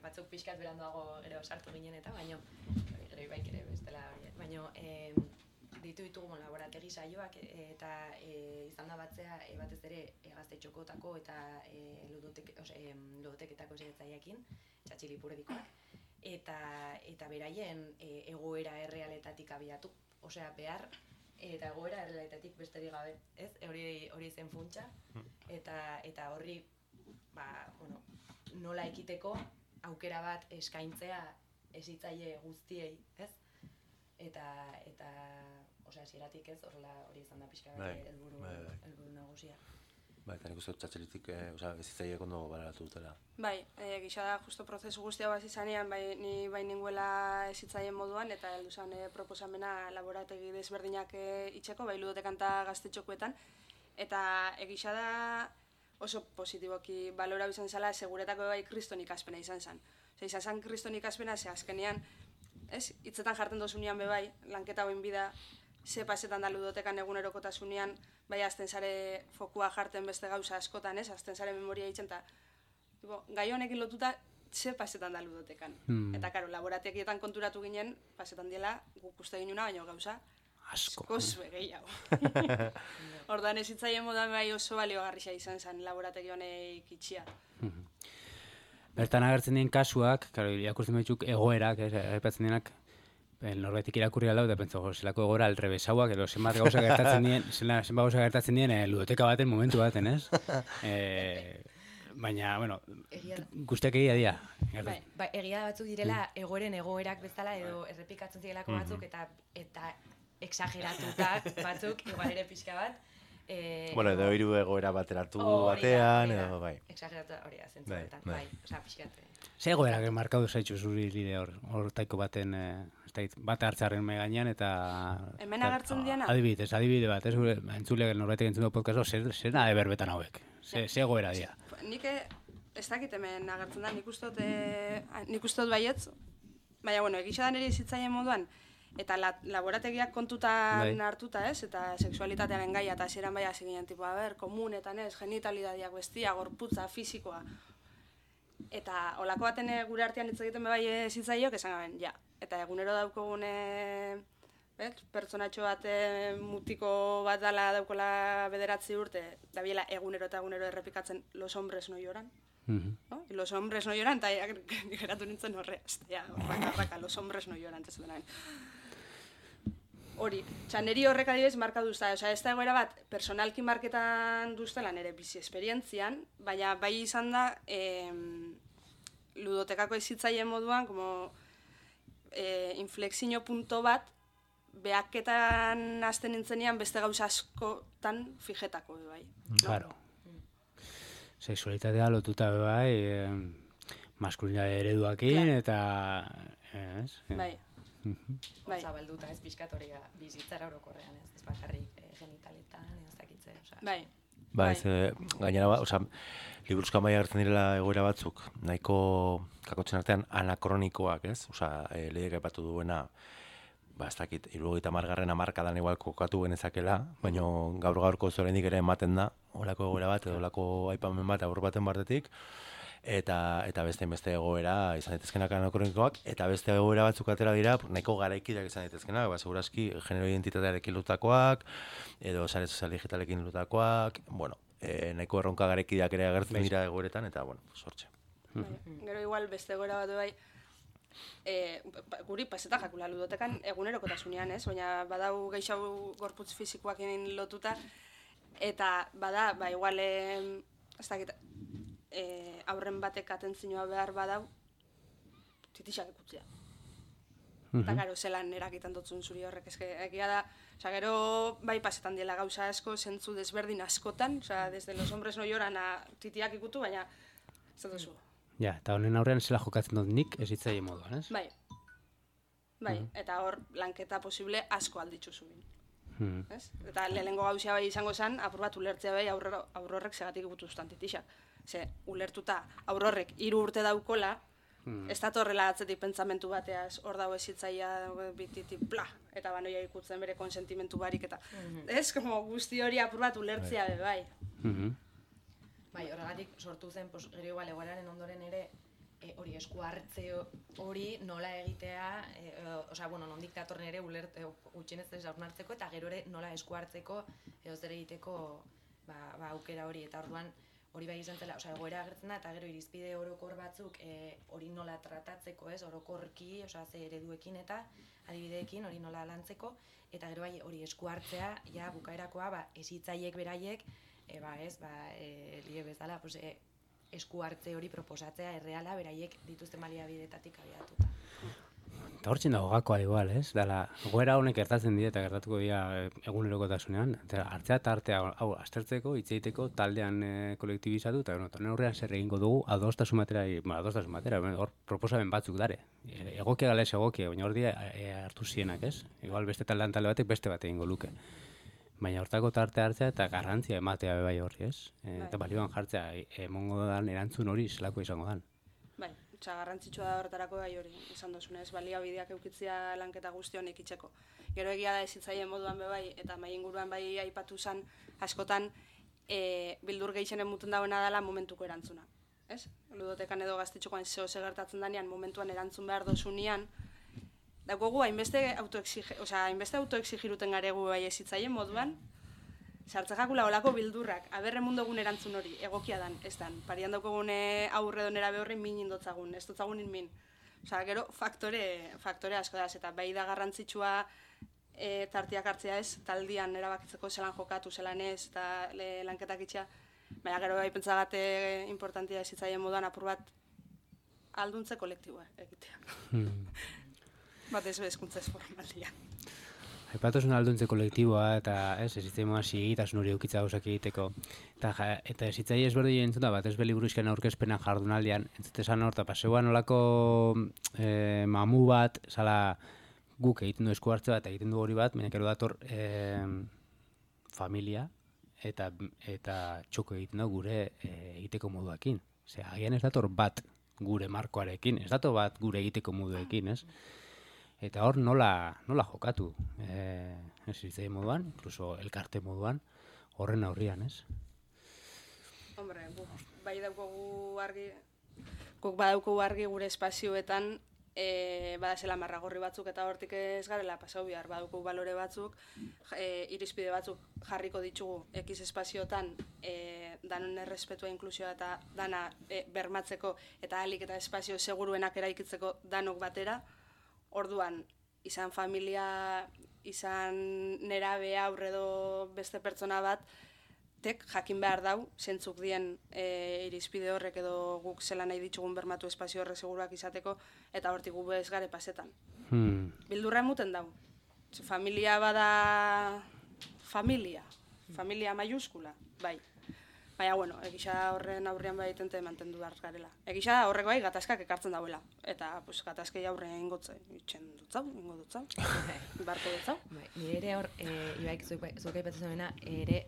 batzuk pixkat beranduago gero sartu ginen eta, baino, gero ibaik ere bestela hori, baino, e, ditu ditugu laborategi saioak e, eta e, izan da batzea e, batez ere e, Gaztetxokotako eta e, ludotek, ose, e, ludoteketako zeretzaileekin, Txatxilipurdikoak, eta eta beraien e, egoera errealetatik abiatu. Osea, behar eta egoera errealetatik besterik gabe, ez? Hori hori zen funtsa eta eta horri ba, bueno, nola ekiteko aukera bat eskaintzea hezitzaile guztiei, ez? Eta eta osea, hasieratik ez, horrela hori izan da pixka bat helburu helburu nagusia. Bai, eta nik uste dut txatxelitik, eh, osea, hezitzaileek ondo baleratu dutela. Bai, e, gisa da justo prozesu guztia bat izanean, bai, ni bai ninguela hezitzaileen moduan, eta heldu zen e, proposamena laborategi desberdinak e, itxeko, bai ludotekan eta gaztetxokuetan, eta egisa da oso positiboki balora izan zela, seguretako bai kriston ikaspena izan zen. Osea, izan zen kriston ikaspena, ze azkenean, ez, hitzetan jartzen dozunean be bai, lanketa hoin bida, ze pasetan da ludotekan egunerokotasunean, bai azten zare fokua jarten beste gauza askotan, ez, azten zare memoria itzen, eta gai honekin lotuta, ze pasetan da ludotekan. Hmm. Eta, karo, laborategietan konturatu ginen, pasetan diela, guk uste ginuna, baina gauza, asko. Asko gehiago. Ordan ez hitzaien modan bai oso baliogarria izan zen laborategi honek itxia. Bertan agertzen dien kasuak, karo, irakurtzen dituk egoerak, aipatzen dienak, norbaitik irakurri alau, da pentsa, zelako egoera alrebesauak, edo zenbat gauza gertatzen dien, zenbat gauza gertatzen dien ludoteka baten momentu baten, ez? E, baina, bueno, guztiak egia dira. Bai, ba, egia batzuk direla egoeren egoerak bezala, edo errepikatzen zirelako batzuk, eta eta exageratutak batzuk, igual ere pixka bat. Eh, bueno, edo hiru egoera bateratu batean, edo bai. Exageratu hori da, zentzuetan, bai, osea, pixkat. Ze egoerak markatu zaitzu zuri lide hor, hor taiko baten, eh, bat hartzaren me gainean, eta... Hemen agertzen diana? Adibidez, adibide bat, ez gure, entzuleak norbaitek entzun du podcastro, zer nahi berbetan hauek, ze egoera dira. Nik ez dakit hemen agertzen da, nik ustot, nik ustot baietz, baina, bueno, egisa da nire izitzaien moduan, eta la, laborategiak kontutan bai. Hartuta, ez? Eta sexualitatearen gaia, eta hasieran bai hasi ginen, tipo, a ber, komunetan, ez? Genitalidadiak bestia, gorputza, fisikoa. Eta olako baten gure artean hitz egiten bai zitzaiok, esan gaben, ja. Eta egunero daukogun, bet, pertsonatxo bat mutiko bat dala daukola bederatzi urte, dabiela egunero eta egunero errepikatzen los hombres no lloran. Mm-hmm. No? Y los hombres no lloran, eta geratu nintzen horreaz. Ja, raka, raka, los hombres no lloran, ez dena. Hori, txaneri horrek adibidez marka duzta, osea, ez da egoera bat, personalki marketan duztela nire bizi esperientzian, baina bai izan da, eh, ludotekako ezitzaien moduan, como eh, inflexio punto bat, behaketan hasten nintzenean beste gauza askotan fijetako, bai. Claro. No? Sexualitatea lotuta, bai, eh, maskulinitate ereduakin, claro. Eta... Ez? Bai. Bai. Zabalduta ez pixkatoria bizitzara orokorrean, ez, ez bakarrik e, genitaletan, ez dakitze, osea. Bai. Ba, ez, e, gainera, ba, osea, liburuzkan bai agertzen direla egoera batzuk, nahiko kakotzen artean anakronikoak, ez? Osea, e, lehiak aipatu duena, ba, ez dakit, hirurogeita hamargarren hamarkadan igual kokatu genezakela, baina gaur gaurko oraindik ere ematen da, holako egoera bat, edo holako aipamen bat aur baten bartetik, eta eta beste beste egoera izan daitezkenak anakronikoak, eta beste egoera batzuk atera dira nahiko garaikideak izan daitezkenak, ba segurazki genero identitatearekin lotutakoak edo sare sozial digitalekin lotutakoak, bueno, e, nahiko erronka garaikideak ere agertzen dira egoeretan eta bueno, sortze. Bai, gero igual beste egoera bat bai eh guri paseta jakula ludotekan egunerokotasunean, ez? Baina badau gehiago gorputz fisikoekin lotuta eta bada, ba igual eh ez dakit Eh, aurren batek atentzioa behar badau, titixak ikutzea. Eta, mm-hmm. Gero, zelan erakitan dutzun zuri horrek, eske, egia da, oza, gero, bai pasetan diela gauza asko, zentzu desberdin askotan, oza, desde los hombres no lloran a titiak ikutu, baina, ez da duzu. Ja, eta honen aurrean zela jokatzen dut nik ez hitzaile moduan, ez? Bai, bai, mm-hmm. Eta hor, lanketa posible asko alditzu zuen. Mm-hmm. Ez? Eta lehenengo gauzia bai izango zen, apur bat ulertzea bai aurrorrek segatik ikutu zuten titixak. Ze, ulertuta aurrorrek hiru urte daukola, hmm. ez datorrela atzetik pentsamentu bateaz, hor dago ezitzaia bititi, bla, eta banoia ikutzen bere konsentimentu barik, eta mm-hmm. ez, como guzti hori apur bat ulertzea be, bai. Mm-hmm. Bai, horregatik sortu zen, pos, gero igual, egoeraren ondoren ere, e, hori esku hartze hori nola egitea, e, e, osea, bueno, nondik datorren ere ulert, e, utxenez ez hartzeko, eta gero ere nola esku hartzeko, edo zer egiteko, ba, ba, aukera hori, eta orduan, hori bai izan zela, osea, egoera agertzen da, eta gero irizpide orokor batzuk e, hori nola tratatzeko, ez, orokorki, osea, ze ereduekin eta adibideekin hori nola lantzeko, eta gero bai hori esku hartzea, ja, bukaerakoa, ba, ezitzaiek beraiek, e, ba, ez, ba, e, lige bezala, pues, e, esku hartze hori proposatzea erreala beraiek dituzten baliabidetatik abiatuta. Eta hortzen dago gakoa igual, ez? Dala, goera honek gertatzen dira eta gertatuko dira egunerokotasunean. Eta hartzea eta artea, hau, aztertzeko, hitz egiteko, taldean e, kolektibizatu, eta bueno, tonen horrean zer egingo dugu, adostasun batera, bueno, adostasun batera, hor proposamen batzuk dare. E, egokia gala ez egokia, baina hor dira e, hartu zienak, ez? Igual beste taldean talde batek beste bat egingo luke. Baina hortako tarte hartzea eta garrantzia ematea bai horri, ez? E, eta balioan jartzea, emongo dan erantzun hori zelako izango dan. Bai, Osea, garrantzitsua da horretarako gai hori, esan dozunez, baliabideak eukitzea lanketa guzti honek itzeko. Gero egia da ezitzaien moduan be bai, eta mai inguruan bai aipatu zen askotan e, bildur gehienen muten dagoena dela momentuko erantzuna. Ez? Ludotekan edo gaztetxokoan zeo gertatzen danean, momentuan erantzun behar dozunean, daukogu hainbeste autoexige, osea, hainbeste autoexigiruten garegu bai ezitzaien moduan, sartzakakula olako bildurrak, aberre mundogun erantzun hori, egokia dan, ez dan. Parian daukogune aurre donera behorri min indotzagun, ez dotzagun min. Osea, gero faktore, faktore asko da, eta bai da garrantzitsua e, tartiak hartzea ez, taldian erabakitzeko zelan jokatu, zelan ez, eta le, lanketak itxea. Baina gero bai pentsagate importantia ez zitzaien moduan apur bat alduntze kolektiboa egitea. Hmm. Bat ez bezkuntza ez formalia. Aipatuzun alduntze kolektiboa eta ez, ezitzai moa zigitasun hori eukitza gauzak egiteko. Eta, eta ezitzai ezberdi entzuta bat, ez beli buruzken aurkezpenan jardunaldian, entzutezan hor, eta paseuan olako e, mamu bat, zala guk egiten du esku hartze bat, egiten du hori bat, baina kero dator e, familia eta, eta txoko egiten du gure e, egiteko moduakin. Ose, agian ez dator bat gure markoarekin, ez dator bat gure egiteko moduekin, ez? Eta hor nola, nola jokatu, e, ez izai moduan, incluso elkarte moduan, horren aurrian, ez? Hombre, guk bai daukogu argi, guk badaukogu argi gure espazioetan, e, badazela marragorri batzuk eta hortik ez garela pasau bihar, badaukogu balore batzuk, e, irizpide batzuk jarriko ditugu ekiz espazioetan, e, danon errespetua inklusioa eta dana e, bermatzeko eta ahalik eta espazio seguruenak eraikitzeko danok batera. Orduan, izan familia, izan nerabe aurre edo beste pertsona bat, tek jakin behar dau, zentzuk dien e, irizpide horrek edo guk zelan nahi ditugun bermatu espazio horrek seguruak izateko, eta hortik gu bez gare pasetan. Hmm. Bildurra emuten dau. Familia bada familia, familia maiuskula, bai. Baina, bueno, egisa horren aurrean bai tente mantendu behar garela. Egisa horreko bai gatazkak ekartzen dauela. Eta, pues, gatazkei aurrean ingotze, itxen dutzau, ingo dutzau, barko dutzau. Bai, nire ere hor, e, Ibaik, zuek aipatzen zuena, ere,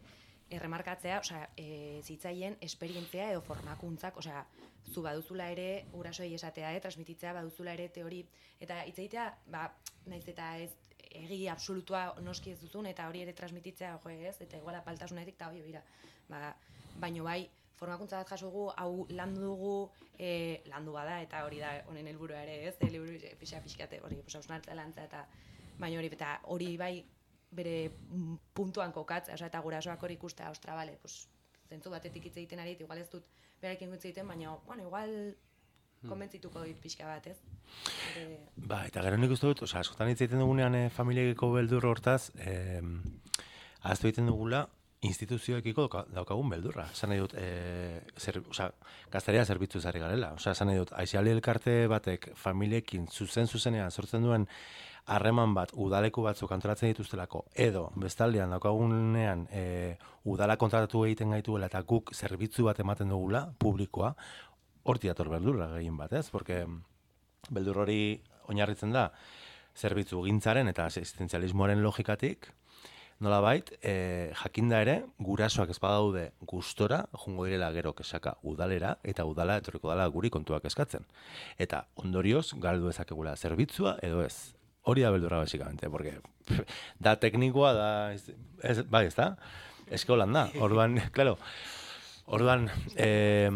erremarkatzea, osea, e, zitzaien esperientzia edo formakuntzak, osea, zu baduzula ere, gurasoei esatea, e, transmititzea baduzula ere teori, eta hitz egitea, ba, naiz eta ez, egi absolutua noski ez duzun, eta hori ere transmititzea, jo ez, eta iguala paltasunetik, eta hori, bera, ba, baino bai, formakuntza bat jasogu, hau landu dugu, e, landu bada, eta hori da honen helburua ere, ez, e, liburu pixa-pixkate, hori, pues, hausnartza lantza, eta baino hori, eta hori bai, bere puntuan kokatza, oza, eta gurasoak hori ikustea, ostra, bale, pues, zentzu batetik hitz egiten ari, igual ez dut berarekin hitz egiten, baina, bueno, igual konbentzituko dit pixka bat, ez? Ere... Ba, eta gero nik uste dut, oza, askotan hitz egiten dugunean e, familiekiko beldur hortaz, e, ahaztu egiten dugula, instituzioekiko daukagun beldurra. Esan nahi dut, e, zer, oza, gaztaria zerbitzu zari garela. Oza, esan nahi dut, aiziali elkarte batek familiekin zuzen-zuzenean sortzen duen harreman bat udaleku batzuk antolatzen dituztelako, edo bestaldean daukagunean e, udala kontratatu egiten gaituela eta guk zerbitzu bat ematen dugula, publikoa, horti dator beldurra gehien bat, ez? Porque beldur hori oinarritzen da zerbitzu gintzaren eta asistenzialismoaren logikatik, nolabait, e, jakinda ere, gurasoak ez badaude gustora, jungo direla gero kesaka udalera, eta udala etorriko dala guri kontuak eskatzen. Eta ondorioz, galdu ezakegula zerbitzua edo ez. Hori da beldurra basikamente, porque da teknikoa, da, ez, bai, ez da? Eske holan da, orduan, claro, orduan, eh,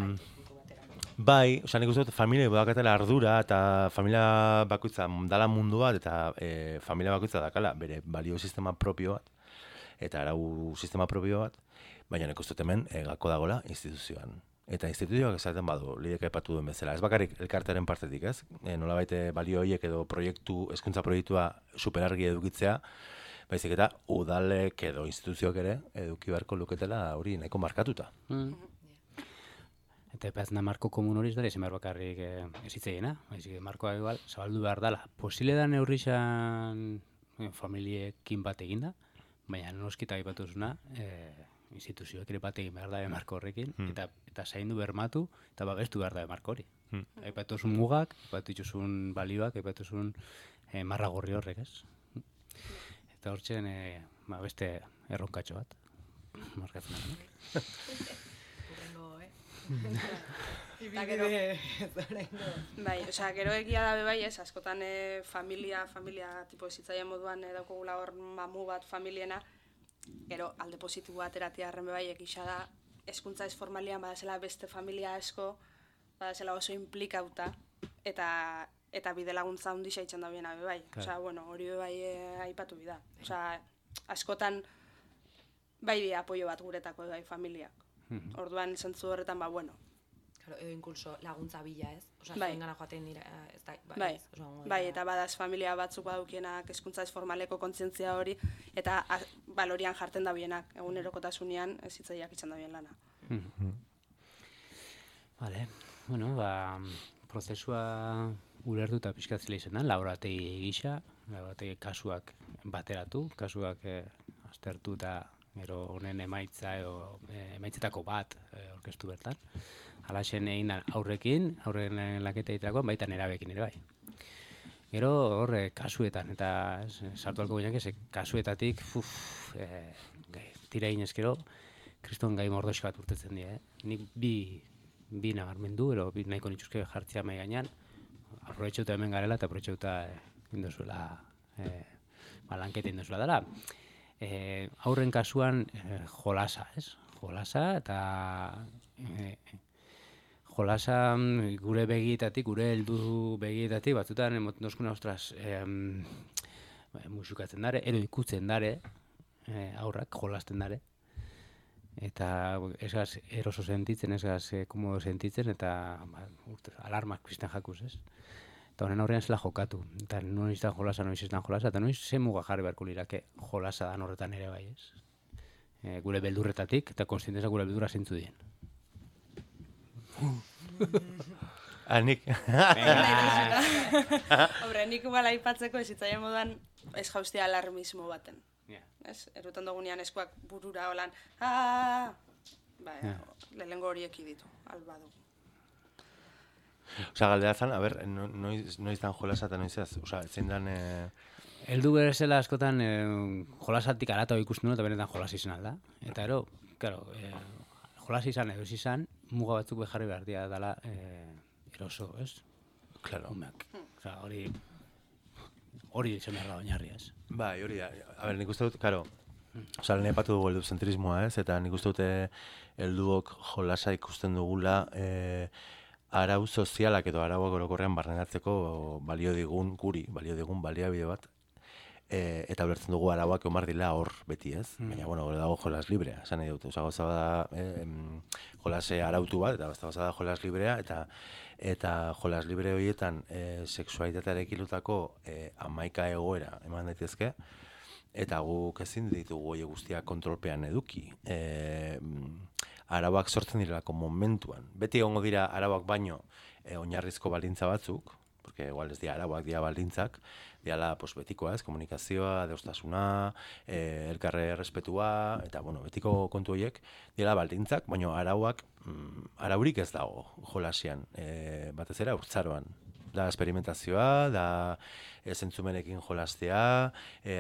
bai, oza, nik uste dut familia badakatela ardura eta familia bakoitza dala mundu bat eta e, familia bakoitza dakala bere balio sistema propio bat. eta arau sistema propio bat, baina nik uste dut hemen e, gako dagoela instituzioan. Eta instituzioak esaten badu, lidek aipatu duen bezala. Ez bakarrik elkartearen partetik, ez? E, nolabait balio horiek edo proiektu, hezkuntza proiektua superargi edukitzea, baizik eta udalek edo instituzioak ere eduki beharko luketela hori nahiko markatuta. Mm. Eta epazna marko komun hori ez dara izan behar bakarrik eh, ezitzeiena. Baizik, markoa igual, zabaldu behar dela. Posile da neurrixan eh, familiekin bat eginda, baina noskita aipatu zuna, eh, instituzioak ere bat egin behar da marko horrekin, hmm. eta, eta zaindu bermatu, eta babestu behar da marko hori. Hmm. Aipatu zuen mugak, aipatu zuen balioak, aipatu zuen eh, marra gorri horrek, ez? Eta hortzen, eh, ba, beste erronkatxo bat. Markatzen da. Urrengo, eh? Eta gero, bai, osea, gero egia dabe bai, ez, askotan e, familia, familia tipo ezitzaien moduan e, daukogula hor mamu bat familiena, gero alde positiboa ateratia arren bai egisa da, hezkuntza ez formalian badazela beste familia asko, badazela oso implikauta, eta eta bide laguntza hundi saitzen da biena bai, osea, bueno, hori bai e, aipatu bida, osea, askotan bai di apoio bat guretako bai familiak. Orduan zentzu horretan, ba, bueno. Claro, edo incluso laguntza bila, ez? Osea, bai. Zuengana joaten dira, ez da, bai, bai. Ez, oso, bai, eta badaz familia batzuk badukienak hezkuntza ez formaleko kontzientzia hori, eta a, balorian jartzen da bienak, egunerokotasunean ez hitzaiak itzan da bien lana. Mm-hmm. Vale, bueno, ba, prozesua ulertu eta pixkatzela izan da, laborategi gisa, laborategi kasuak bateratu, kasuak eh, aztertu eta gero honen emaitza edo e, emaitzetako bat e, orkestu bertan. Halaxen egin aurrekin, aurren laketa egiterakoan, baita nerabekin ere bai. Gero horre kasuetan, eta ez, sartu alko gineak ez, kasuetatik, uf, e, gai, tira inezkero, kriston gai mordoxo bat urtetzen dira. Eh? Nik bi, bi nabarmendu, ero bi nahiko nituzke jartzea mai gainean, aprobetxauta hemen garela eta aprobetxauta e, indozuela, e, ba, lanketa indozuela dela. Eh, aurren kasuan eh, jolasa, ez? Jolasa eta eh, jolasa gure begietatik, gure heldu begietatik, batzutan emoten dozkuna, ostras, eh, musukatzen dare, ero ikutzen dare, eh, aurrak jolasten dare. Eta esgaz eroso sentitzen, esgaz eh, komodo sentitzen, eta ba, urte, alarmak kristan jakuz, ez? Eta honen aurrean zela jokatu. Eta noiz da jolasa, noiz ez da jolasa, eta noiz ze muga jarri beharko lirake jolasa dan horretan ere bai, ez? E, gure beldurretatik, eta konstienteza gure beldurra zintzu dien. Ah, nik. Hombre, nik igual aipatzeko ezitzaien moduan ez jauztia alarmismo baten. Yeah. Ez, erutan dugunean eskuak burura holan, aaa, ba, yeah. Lehengo horiek ditu, albadu. Osa, galdera zan, a ber, no, noiz, noiz dan jolasa eta noiz ez? Osa, zein dan... Eh... Eldu berezela askotan eh, jolasatik arata ikusten duen eta benetan jolas izan alda. Eta ero, claro, eh, jolas izan edo izan, muga batzuk beharri behar dira dela eh, eroso, ez? Claro. Umeak. Osa, hori... Hori izan behar da oinarri, ez? Bai, hori da. A ber, nik uste dut, karo, osa, lehen epatu dugu helduzentrismoa, ez? Eta nik uste dute helduok jolasa ikusten dugula... Eh, arau sozialak edo arauak orokorrean barnenatzeko balio digun guri, balio digun baliabide bat, e, eta ulertzen dugu arauak omar dila hor beti, ez? Mm. Baina, bueno, gore dago jolas librea, esan nahi dut. Osa, goza da eh, jolase arautu bat, eta goza da jolas librea, eta eta jolas libre horietan e, sexualitatearekin lutako e, amaika egoera eman daitezke, eta guk ezin ditugu hori guztiak kontrolpean eduki. E, arauak sortzen direlako momentuan. Beti egongo dira arauak baino e, oinarrizko baldintza batzuk, porque igual ez dira arauak, dira baldintzak, diala pues, betikoa, ez, komunikazioa, deustasuna, e, elkarre errespetua, eta bueno, betiko kontu horiek, diala baldintzak, baino arauak, mm, araurik ez dago jolasian, e, batez ere urtzaroan. Da experimentazioa, da e, zentzumenekin jolastea,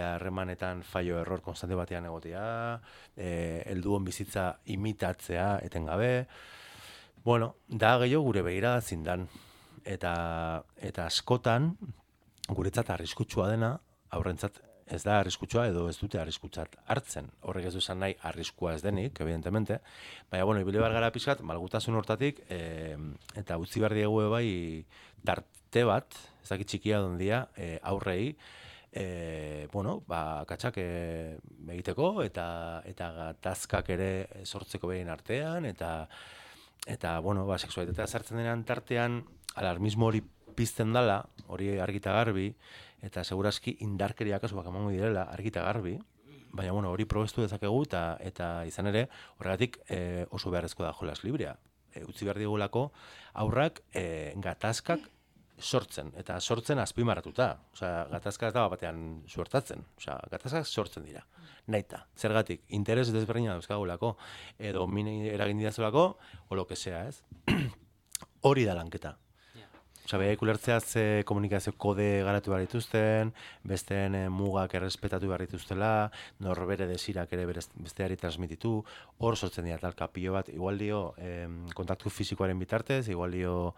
harremanetan e, fallo error konstante batean egotea, e, helduen bizitza imitatzea etengabe. Bueno, da gehiago gure begirada zindan. Eta, eta askotan, guretzat arriskutsua dena, aurrentzat ez da arriskutsua edo ez dute arriskutsat hartzen. Horrek ez du esan nahi arriskua ez denik, evidentemente. Baina, bueno, ibili behar gara pixkat, malgutasun hortatik, e, eta utzi behar diegu bai tarte bat, ez dakit txikia dondia, e, aurrei, e, bueno, ba, katxak e, egiteko eta eta gatazkak ere sortzeko behin artean, eta eta bueno, ba, sexualitatea sartzen denean tartean, alarmismo hori pizten dala, hori argita garbi, eta segurazki indarkeria kasuak emango direla argita garbi, baina bueno, hori probestu dezakegu eta eta izan ere, horregatik e, oso beharrezkoa da jolas librea. E, utzi behar digulako aurrak e, gatazkak sortzen, eta sortzen azpimarratuta. Osea, gatazka ez da batean suertatzen. Osea, gatazkak sortzen dira. Naita. Zergatik, interes desberdina dauzkagulako, edo mini eragin didazulako, o lo que sea, ez? Hori da lanketa. Osea, behaik ulertzea ze komunikazio kode garatu behar dituzten, besteen eh, mugak errespetatu behar dituztela, norbere desirak ere besteari transmititu, hor sortzen dira talka pilo bat, igual dio eh, kontaktu fisikoaren bitartez, igual dio,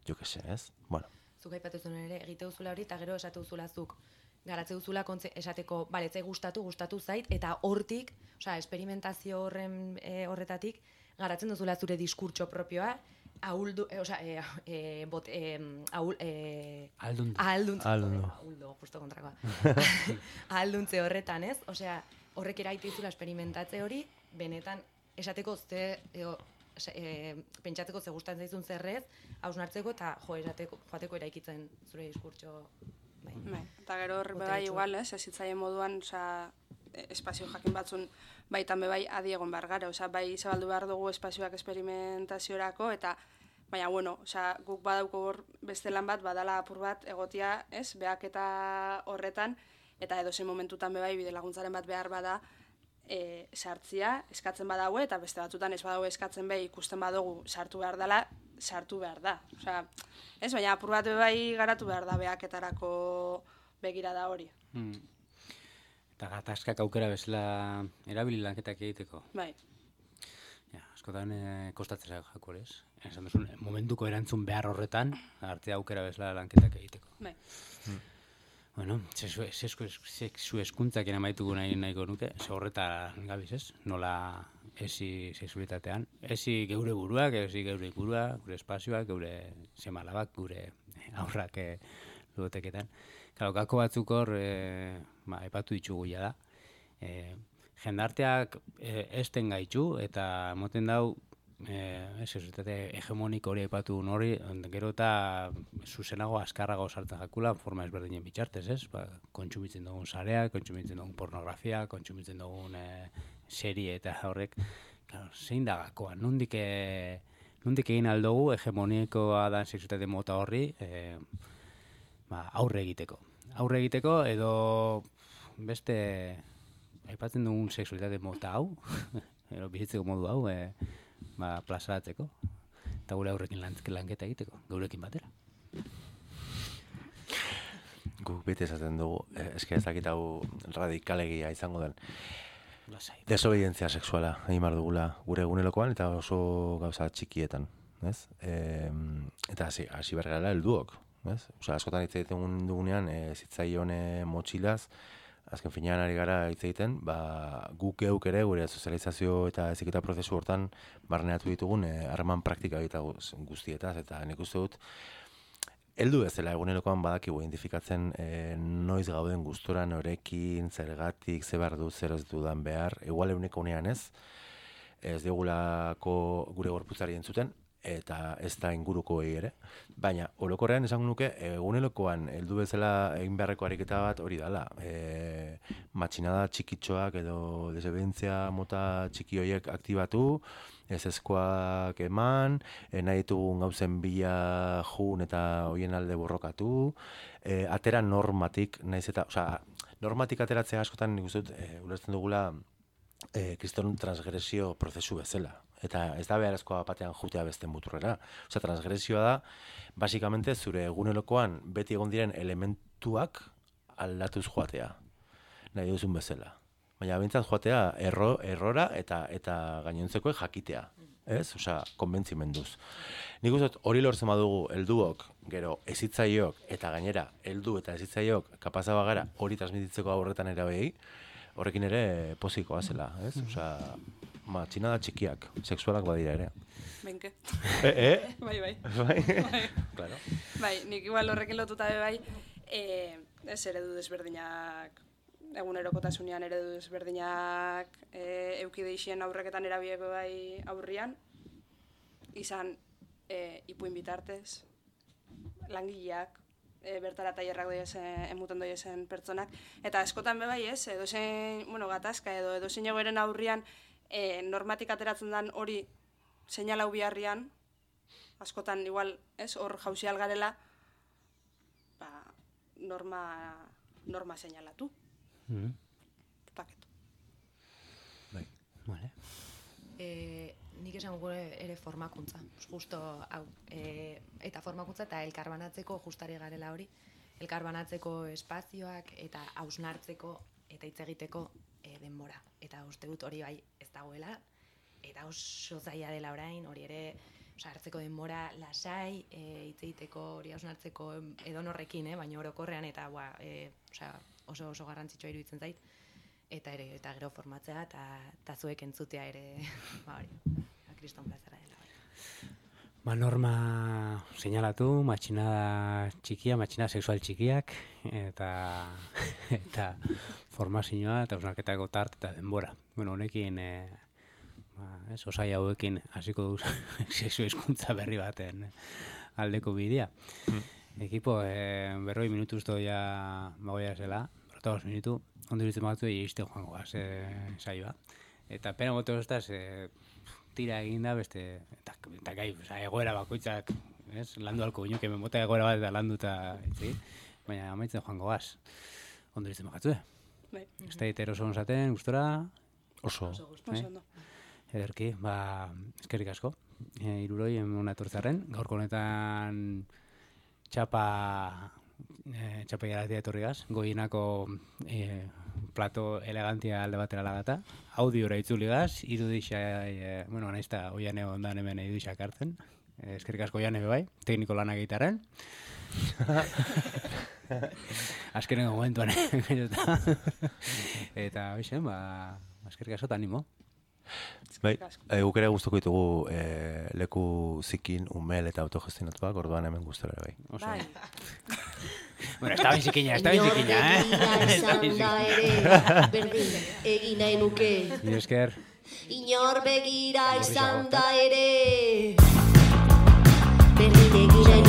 jo que se, ez? Bueno. Zuk aipatu zuen ere, egite duzula hori, eta gero esatu duzula zuk. Garatze duzula kontze, esateko, bale, etzai gustatu, gustatu zait, eta hortik, osea, esperimentazio horren e, horretatik, garatzen duzula zure diskurtso propioa, ahuldu, e, osea, e, e, bot, e, ahul, e, Aldundu. Ahalduntze. Ahaldundu. Ahuldu, justo kontrakoa. Ahalduntze horretan, ez? Osea, horrek eraiti dizula esperimentatze hori, benetan, esateko ze, eo, e, pentsatzeko ze gustatzen zaizun zerrez, hausnartzeko eta jo, esateko, joateko eraikitzen zure diskurtso. Bai. Bai, eta gero hor bai igual, ez, ez hitzaien moduan, osea, espazio jakin batzun baitan bebai adi egon behar gara, osea, bai zabaldu behar dugu espazioak esperimentaziorako, eta baina, bueno, osea, guk badauko hor beste lan bat, badala apur bat egotia, ez, behaketa horretan, eta edozein momentutan bebai bide laguntzaren bat behar bada, e, sartzia, eskatzen badaue, eta beste batzutan ez badaue eskatzen behi ikusten badugu sartu behar dela, sartu behar da. Osea, ez, baina apur bat bai garatu behar da behaketarako begirada hori. Hmm. Eta gatazkak aukera bezala erabili lanketak egiteko. Bai. Ja, askotan e, kostatzera jako, ez? Esan duzun, momentuko erantzun behar horretan, arte aukera bezala lanketak egiteko. Bai. Hmm. Bueno, sexu, sexu, sexu eskuntzak amaituko nahi nahiko nuke, ze horretan gabiz, ez? Nola esi sexualitatean, esi geure buruak, esi geure ingurua, gure espazioak, geure semalabak, gure aurrak e, ludoteketan. Claro, gako batzuk hor, e, ba, epatu ditugu ja da. E, jendarteak e, esten gaitu eta moten dau e, sexualitate hegemoniko hori epatu hori, gero eta zuzenago askarrago sartzen jakula forma ezberdinen bitxartez, ez? Ba, kontsumitzen dugun sarea, kontsumitzen dugun pornografia, kontsumitzen dugun e, serie eta horrek, claro, zein da gakoa, nondik e, nondik egin aldugu hegemonikoa da sexualitate mota horri, e, ba, aurre egiteko. Aurre egiteko edo beste aipatzen dugun sexualitate mota hau, edo bizitzeko modu hau, e, ba, plazaratzeko, eta gure aurrekin lanketa egiteko, geurekin batera. Guk bete esaten dugu, eh, eske ez dakit hau radikalegia izango den. Lasai. Desobedientzia sexuala egin behar dugula gure egunerokoan eta oso gauza txikietan, ez? E, eta hasi hasi behar gara helduok, ez? Osea, askotan hitz egiten dugunean, e, zitzaion motxilaz, azken finean ari gara hitz egiten, ba, guk geuk ere gure sozializazio eta heziketa prozesu hortan barneatu ditugun harreman e, praktika eta guztietaz, eta nik uste dut heldu bezala egunerokoan badakigu identifikatzen e, noiz gauden gustora norekin, zergatik, ze behar du, zer ez dudan behar, igual eguneko unean ez, ez digulako gure gorputzari entzuten, eta ez da ingurukoei ere, baina orokorrean esango nuke egunerokoan heldu bezala egin beharreko ariketa bat hori dala. E, matxinada txikitxoak edo desobedientzia mota txiki horiek aktibatu, ez ezkoak eman, e, nahi ditugun gauzen bila jun eta hoien alde borrokatu, e, atera normatik, naiz eta, osea, normatik ateratzea askotan nik uste dut, e, ulertzen dugula e, kriston transgresio prozesu bezala. Eta ez da beharrezkoa batean jutea beste muturrera. Osea, transgresioa da, basikamente zure egunerokoan beti egon diren elementuak aldatuz joatea. Nahi duzun bezala. Baina bintzat joatea erro, errora eta eta gainontzekoek jakitea. Ez? Osea, konbentzimenduz. Nik uste hori lortzen badugu helduok, gero ezitzaiok eta gainera heldu eta ezitzaiok kapaza bagara hori transmititzeko aurretan erabeei, horrekin ere pozikoa zela, ez? Osea, matxinada txikiak, sexualak badira ere. Benke. Eh, eh? Bai, bai. Bai? Bai. Claro. Bai, nik igual horrekin lotuta be bai, e, ez eredu desberdinak, egunerokotasunean eredu desberdinak e, eukideixien aurreketan erabieko bai aurrian, izan e, ipuin bitartez, langileak, e, bertara tailerrak doiezen, emuten doiezen pertsonak, eta askotan bebai ez, edozein, bueno, gatazka edo edozein egoeren aurrian e, normatik ateratzen den hori seinalau biharrian, askotan igual, ez, hor jauzial garela, ba, norma, norma seinalatu. Mm. Paketu. Bai. Vale. E, nik esango ere formakuntza, justo hau, e, eta formakuntza eta elkarbanatzeko justari garela hori, elkarbanatzeko espazioak eta hausnartzeko eta hitz egiteko e, denbora. Eta uste dut hori bai ez dagoela, eta oso zaila dela orain, hori ere, oza, hartzeko denbora lasai, e, hitz egiteko, hori hausnartzeko edonorrekin, eh, baina orokorrean, eta ba, e, oza, oso oso garrantzitsua iruditzen zait, eta ere eta gero formatzea eta ta zuek entzutea ere, ba hori, kriston plazera dela. Ba, norma seinalatu, matxinada txikia, matxinada sexual txikiak, eta eta formazioa eta hausnarketako tart eta denbora. Bueno, honekin, e, ba, ez, osai hauekin hasiko duz sexu hizkuntza berri baten aldeko bidea. Mm. Ekipo, e, berroi minutu usto ja bagoia zela, berrotagoz minutu, ondo iritzen batzu egizte joango gaz, e, saioa. Eta pena gote hostaz, e, tira eginda beste, eta, eta gai, oza, egoera bakoitzak, ez, landu alko ginuke, menbota egoera bat eta landu eta, etzi, baina amaitzen joango gaz. Ondo iritzen batzu, eh? Bai. Ez da iter oso onzaten, gustora? Oso. Oso gustu. Oso ondo. Ederki, ba, eskerrik asko. E, iruroi, emona etortzarren, gaurko honetan txapa, e, txapa jaratia etorrigaz, goienako e, plato elegantia alde batera lagata, audiora itzuligaz, irudixa, e, bueno, naizta oiane ondan hemen irudixak hartzen, e, eskerrik asko oiane bebai, tekniko lanak egitaren. Azkenengo momentuan, eta, eta, oixen, ba, eskerrik asko eta animo. Bai, e, guk ere gustuko ditugu e, leku zikin, umel eta autogestionatuak, orduan hemen gustora ere bai. Oso. Bai. Bueno, está bien zikina, está bien zikina, eh? Inor begira ere, berdin, egin nahi nuke. Mil esker. Inor begira izan da ere, berdin egin nahi nuke.